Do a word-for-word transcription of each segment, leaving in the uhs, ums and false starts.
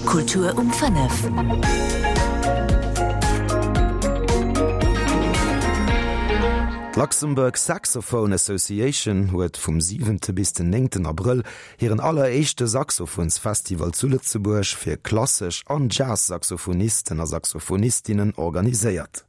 Kultur um fënnef. D'Luxembourg Saxophone Association huet vum siwente bis den néngten Abrëll hiren alleréischte Saxophonsfestival zu Lëtzebuerg fir klassesch an Jazz-Saxophonisten a Saxophonistinnen organiséiert.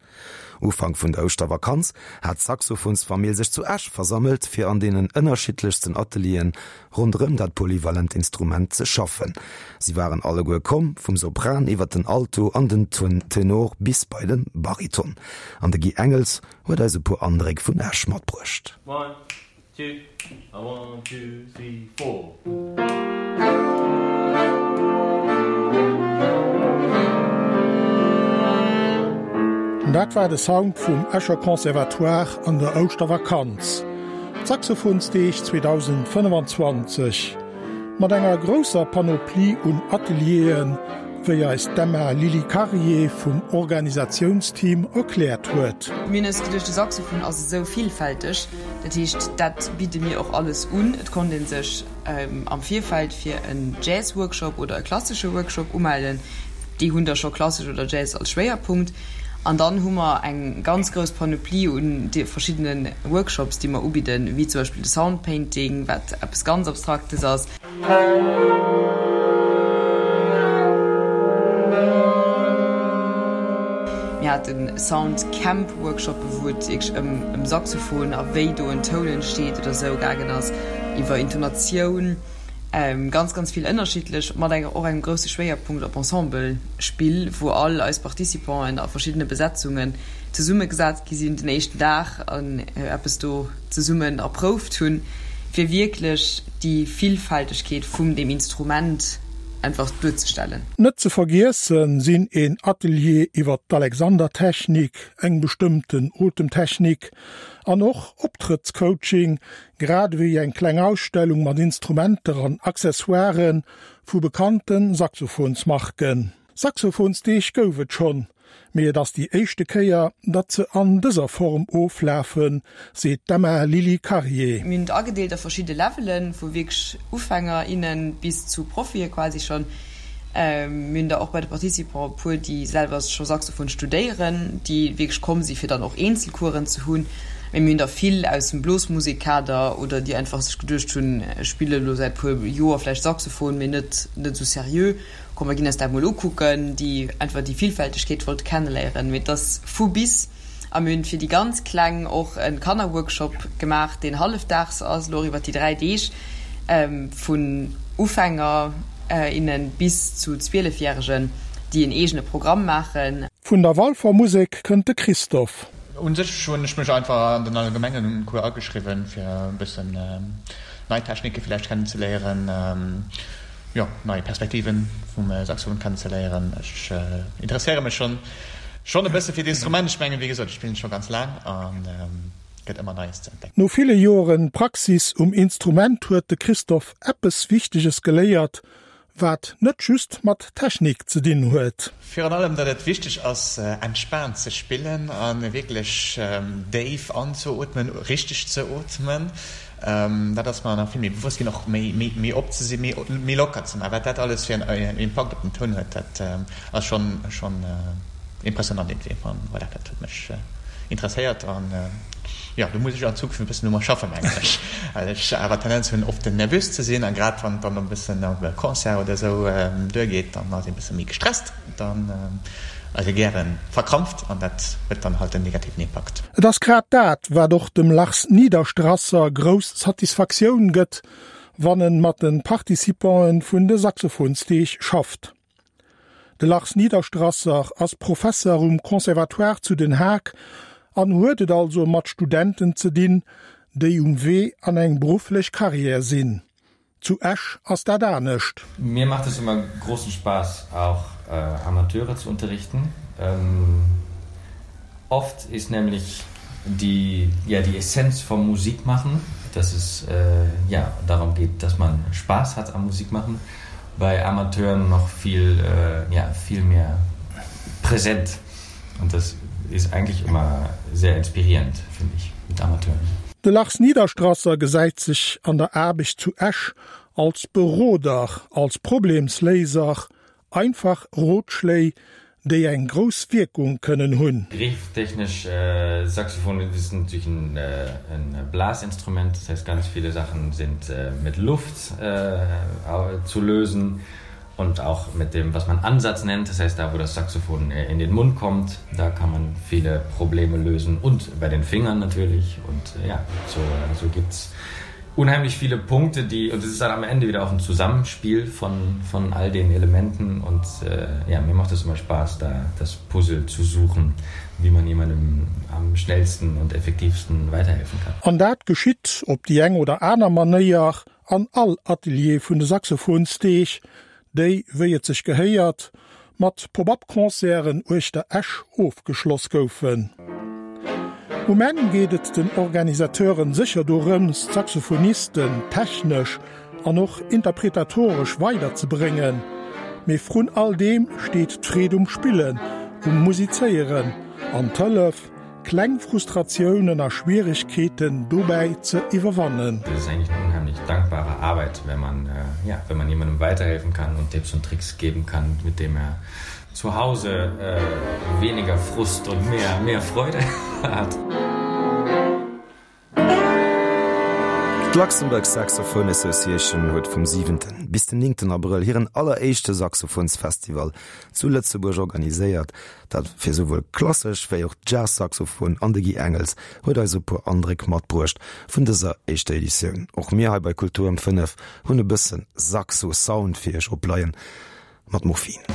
Ufank vun der Ouschtervakanz hat d'Saxophonsfamill sech zu Esch versammelt, fir an deenen ënnerschiddlechsten Atelieren ronderëm dat polyvalent Instrument ze schaffen. Si waren alleguer komm, vum Sopran iwwer den Alto an den Tenor bis bei de Bariton. An de Guy Engels huet eis e puer Andréck vun Esch matbruecht. One, two, a one, two, three, four. Dat war de Sound vum Escher Conservatoire an der Ouschtervakanz. D'Saxophonsdeeg zweedausendfënnefanzwanzeg mat enger grousser Panoplie un Atelieren, wéi eis d'Emma Lily Karier vum Organisatiounsteam erkläert huet. Mir hunn eis geduecht, de Saxophon ass esou villfälteg, dat heescht, dat bidde mir och alles un. Et konnt ee sech am Virfeld fir en Jazz-Workshop oder e klassesche Workshop umellen. Déi hunn da scho klassesch oder Jazz als Schwéierpunkt. An dann hu mer eng ganz grouss Panoplie un de verschiddene Workshops, déi mer ubidden, wéi zum Beispill de Sound Painting, wat eppes ganz Abstraktes ass. Mir hate Sound Camp Workshoppe wou et wierklech ëm ëm Saxophon a wéi do en Toun entsteet oder esou gaangen ass, iwwer Intonatioun, ganz ganz vill ënnerschiddlech, mat enger och engem grousse Schwéierpunkt op Ensemblespill, wou all eis Participanten a verschiddene Besetzungen zesummegesat gi sinn den éischten Dag an eppes do zesummen erprouft hunn, fir wierklech déi Villfältegkeet vum deem Instrument einfach duerzestellen. Net ze vergiessen sinn een Atelier iwwer d'Alexander-Technik, eng bestëmmten Otemtechnik, an och Optrëttscoaching, grad ewéi eng kleng Ausstellung mat Instrumenter an Accessoiren vu bekannte Saxophonsmarken. Saxophonsdeeg gouf et schonn, mee et ass déi éischte Kéier, datt se an dëser Form oflafen, seet d'Emma Lily Karier. Mir hunn et agedeelt a verschidde Levelen, vu wierklech Ufänger, innen bis zu Profie quasi schonn. Mir hunn der och bei de Participants e puer, déi selwer scho Saxophon studéieren, déi wierklech komm si fir dann och Eenzelcoursen ze hunn. Mee mir hunn der vill aus dem Blosmusekkader oder déi einfach sech geduecht hunn, ech spille lo säit puer Joer vläicht Saxophon, mee net net esou seriö, komm mer ginn eis dat mol ukucken, déi einfach déi Villfältegkeet wollte kenneléieren. Mee et ass vu bis. A mir hunn fir déi ganz Kleng och e Kannerworkshop gemaach, deen hallefdaags ass, elo och iwwer déi dräi Deeg, vun Ufänger, innen bis zu Zwielefjäregen, déi en eegene Programm maachen. Vun der Walfer Musek kënnt de Christophe. Un sech hunn ech mech einfach an den allgemengen Cours ageschriwwen, fir e bëssen nei Technike villäicht kennenzeléieren, jo, nei Perspektiven vum Saxophon kennenzeléieren. Ech interesséiere mech schonn schonn e bësse fir d'Instrument. Ech mengen, wéi gesot, ech spillen et scho ganz laang an gëtt ëmmer Neies ze entdecken. No ville Joren Praxis um Instrument huet de Christophe eppes Wichteges geléiert, wat net just mat Technik ze dinn huet. Virun allem, datt et wichteg ass, entspaant ze spillen a wierklech déif anzeootmen, richteg ze ootmen. Dat ass mer nach vill méi bewosst ginn, och méi op ze sinn, méi locker ze maachen. Wat dat alles fir en Impakt op den Toun huet, dat ass schonn impressionant iergendwéi. An voilà, dat huet mech interesséiert an jo, do muss ech an Zukunft e bëssen u mer schaffen, mengen ech, well ech awer d'Tendenz hunn, oft nervös ze sinn a grad wann et dann e bëssen op e Concert oder esou duergeet, dann ass ee bësse méi gestresst, dann ass ee gäre verkrampft an dat huet dann halt en negativen Impakt. Et ass grad dat, wat och dem Lars Niederstrasser grouss Satisfaktioun gëtt, wann en mat de Participanten vun de Saxophonsdeeg schafft. De Lars Niederstrasser ass Professer um Conservatoire zu Den Haag an huet et also mat Studenten ze dinn, déi um Wee an eng berufflech Karriär sinn. Zu Esch ass dat anescht. Mir macht es immer großen Spaß, auch Amateure zu unterrichten. Oft ist nämlich die, ja, die Essenz vom Musikmachen, dass es ja, darum geht, dass man Spaß hat am Musikmachen, bei Amateuren noch viel, ja, viel mehr präsent. Und das ist eigentlich immer sehr inspirierend, finde ich, mit Amateuren. De Lars Niederstrasser gesäit sech an der Aarbecht zu Esch als Beroder, als Problemsléiser, Einfach Rotschléi, déi eng grouss Wierkung kënnen hunn. Grifftechnisch äh, Saxophon ist natürlich ein, äh, ein Blasinstrument, das heißt ganz viele Sachen sind äh, mit Luft äh, zu lösen und auch mit dem, was man Ansatz nennt, das heißt da, wo das Saxophon äh, in den Mund kommt, da kann man viele Probleme lösen und bei den Fingern natürlich und äh, ja, so, äh, so gibt es unheimlich viele Punkte, die und es ist dann am Ende wieder auch ein Zusammenspiel von, von all den Elementen und äh, ja, mir macht es immer Spaß, da das Puzzle zu suchen, wie man jemandem am schnellsten und effektivsten weiterhelfen kann. An dat geschitt op déi eng oder aner Manéier an all Atelier vun de Saxophonsdeeg, déi, wéi et sech gehéiert, mat Pop-up-Concerten uechter Esch ofgeschloss goufen. Um Enn geet et den Organisateuren sécher dorëms, d'Saxophonisten technesch an och interpretatoresch weiderzebréngen. Mee vrun all deem steet d'Freed um Spillen, um Musizéieren an d'Hëllef, kleng Frustratiounen a Schwieregkeeten dobäi ze iwwerwannen. Das ist eigentlich eine unheimlich dankbare Arbeit, wenn man, äh, ja, wenn man jemandem weiterhelfen kann und Tipps und Tricks geben kann, mit dem er zu Hause äh, weniger Frust und mehr, mehr Freude hat. D'Luxembourg Saxophone Association huet vum siwenten bis den néngten Abrëll hiren alleréischte Saxophonsfestival zu Lëtzebuerg organiséiert, dat fir souwuel klassesch wéi och Jazz-Saxophon an de Guy Engels huet eis e puer Andréck matbruecht vun dëser éischter Editioun. Och mir hei bei Kultur um fënnef hunn e bëssen Saxo-Sound fir iech opleien mat Morphine.